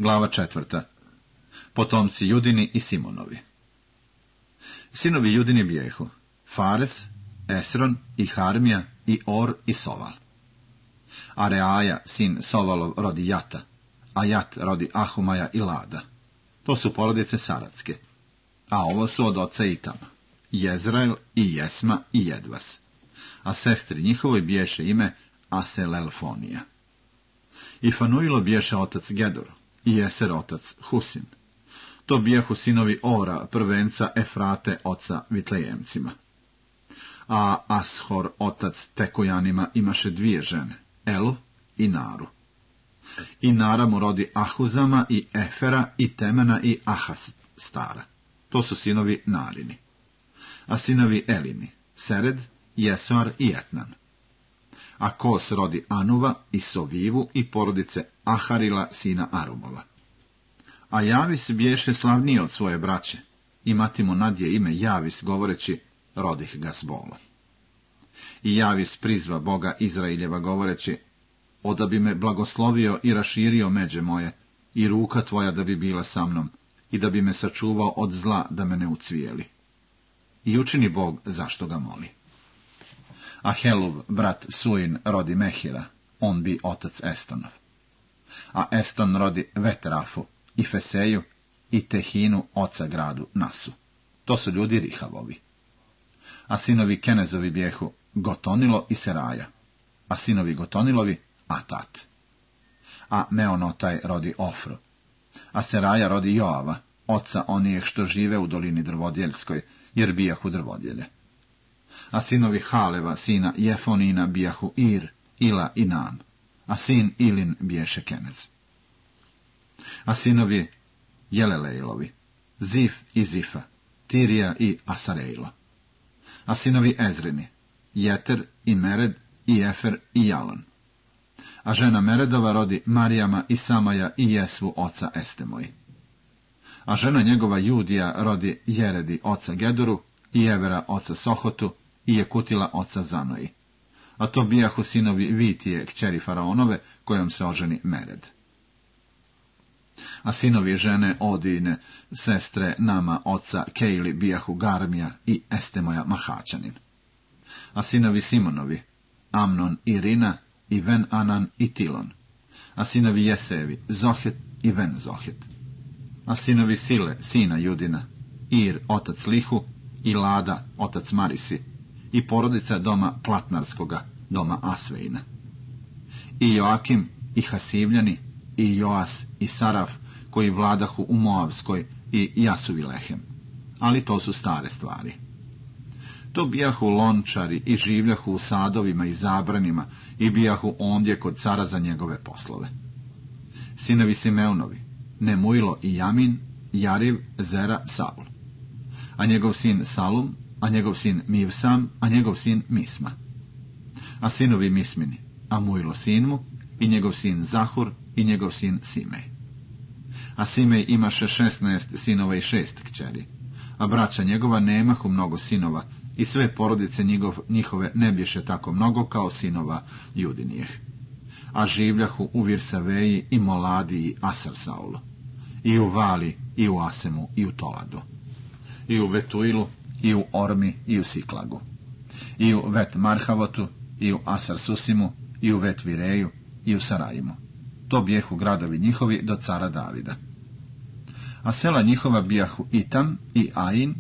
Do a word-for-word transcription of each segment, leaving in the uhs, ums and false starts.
Glava četvrta. Potomci Judini i Simonovi. Sinovi Judini bijehu Fares, Esron i Harmija i Or i Soval. Areaja, sin Sovalov, rodi Jata, a Jat rodi Ahumaja i Lada. To su porodice Saratske. A ovo su od oca Itama, Jezrael i Jesma i Jedvas. A sestri njihovoj biješe ime Aselelfonija. I Fanuilo biješe otac Gedur, i Jeser otac Husin. To bijehu sinovi Ora, prvenca Efrate, oca Vitlejemcima. A Ashor, otac Tekojanima, imaše dvije žene, Elu i Naru. I Nara mu rodi Ahuzama i Efera i Temena i Ahastara. To su sinovi Narini. A sinovi Elini, Sered, Jesuar i Etnan. A Kos rodi Anuva i Sovivu i porodice Aharila, sina Arumova. A Javis biješe slavniji od svoje braće, i mati mu nadje ime Javis, govoreći, rodih ga s bolom. I Javis prizva Boga Izraeljeva, govoreći, oda bi me blagoslovio i raširio međe moje, i ruka tvoja da bi bila sa mnom, i da bi me sačuvao od zla da me ne ucvijeli. I učini Bog zašto ga moli. A Heluv, brat Suin, rodi Mehira, on bi otac Estonov. A Eston rodi Vetrafu, i Feseju, i Tehinu, oca gradu Nasu. To su ljudi Rihavovi. A sinovi Kenezovi bijehu Gotonilo i Seraja, a sinovi Gotonilovi Atat. A Meonotaj rodi Ofru, a Seraja rodi Joava, oca onijeh što žive u dolini drvodjeljskoj, jer bijahu drvodjelje. A sinovi Haleva, sina Jefonina, bijahu Ir, Ila i Nam, a sin Ilin biješe Kenez. A sinovi Jelelejlovi, Zif i Zifa, Tirija i Asarejlo. A sinovi Ezrini, Jeter i Mered i Efer i Jalon. A žena Meredova rodi Marijama i Samaja i Jesvu, oca Estemoji. A žena njegova Judija rodi Jeredi, oca Geduru, i Evera, oca Sohotu, i Jekutila, oca Zanoji. A to bijahu sinovi Vitije, kćeri Faraonove, kojom se oženi Mered. A sinovi žene Odine, sestre Nama, oca Kejli, bijahu Garmija i Estemoja Mahaćanin. A sinovi Simonovi, Amnon i Rina, i Ven Anan i Tilon. A sinovi Jesevi, Zohet i Ven Zohet. A sinovi Sile, sina Judina, Ir, otac Lihu, i Lada, otac Marisi, i porodica doma Platnarskoga, doma Asveina. I Joakim, i Hasivljani, i Joas, i Saraf, koji vladahu u Moavskoj, i Jasuvilehem. Ali to su stare stvari. To bijahu lončari i življahu u sadovima i zabranima i bijahu ondje kod cara za njegove poslove. Sinovi Simeunovi, Nemuilo i Jamin, Jariv, Zera, Saul. A njegov sin Salum, a njegov sin Mivsam, a njegov sin Misma. A sinovi Mismini, Amuilo sin mu, i njegov sin Zahur, i njegov sin Simej. A Simej imaše šesnaest sinova i šest kćeri, a braća njegova nemahu mnogo sinova, i sve porodice njegov, njihove ne bješe tako mnogo kao sinova Judinijeh. A življahu u Virsaveji i Moladi i Asarsaulu, i u Vali, i u Asemu, i u Toladu, i u Vetuilu, i u Ormi, i u Siklagu, i u Vet Marhavotu, i u Asarsusimu, i u Vet Vireju, i u Sarajimu. To bijehu gradovi njihovi do cara Davida. A sela njihova bijahu Itam i Ain,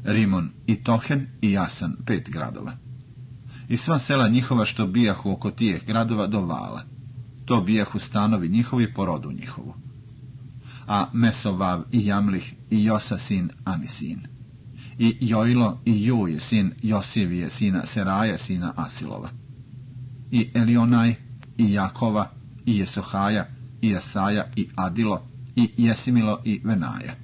Rimon i Tohen i Jasan, pet gradova. I sva sela njihova što bijahu oko tijeh gradova do Vala. To bijahu stanovi njihovi po rodu njihovu. A Mesovav i Jamlih i Josa sin Amisin. I Jojlo i Juj sin Josivije sina Seraja sina Asilova. I Elionaj i Jakova i Jesohaja i Jesaja i Adilo i Jesimilo i Venaja.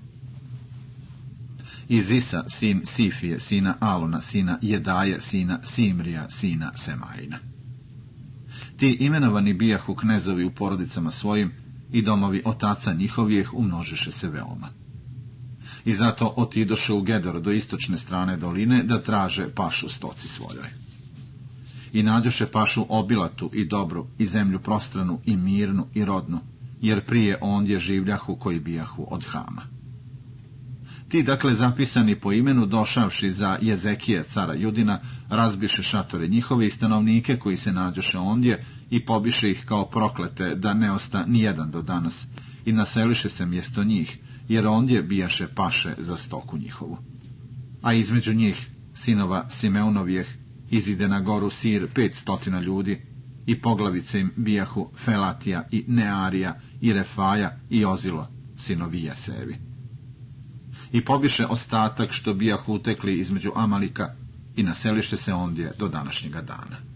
I Zisa sin Sifije sina Aluna sina Jedaje sina Simrija sina Semajina. Ti imenovani bijahu knezovi u porodicama svojim i domovi otaca njihovijeh umnožiše se veoma. I zato otidoše u Gedor do istočne strane doline da traže pašu stoci svojoj. I nađoše pašu obilatu i dobru i zemlju prostranu i mirnu i rodnu jer prije ondje življahu koji bijahu od Hama. Ti, dakle, zapisani po imenu, došavši za Jezekije, cara Judina, razbiše šatore njihove i stanovnike koji se nađoše ondje i pobiše ih kao proklete, da ne osta nijedan do danas, i naseliše se mjesto njih, jer ondje bijaše paše za stoku njihovu. A između njih, sinova Simeunovijeh, izide na goru Sir pet stotina ljudi, i poglavice im bijahu Felatija i Nearija i Refaja i Ozilo, sinovi Jesejevi. I pobiše ostatak što bijahu utekli između Amalika i naseliše se ondje do današnjega dana.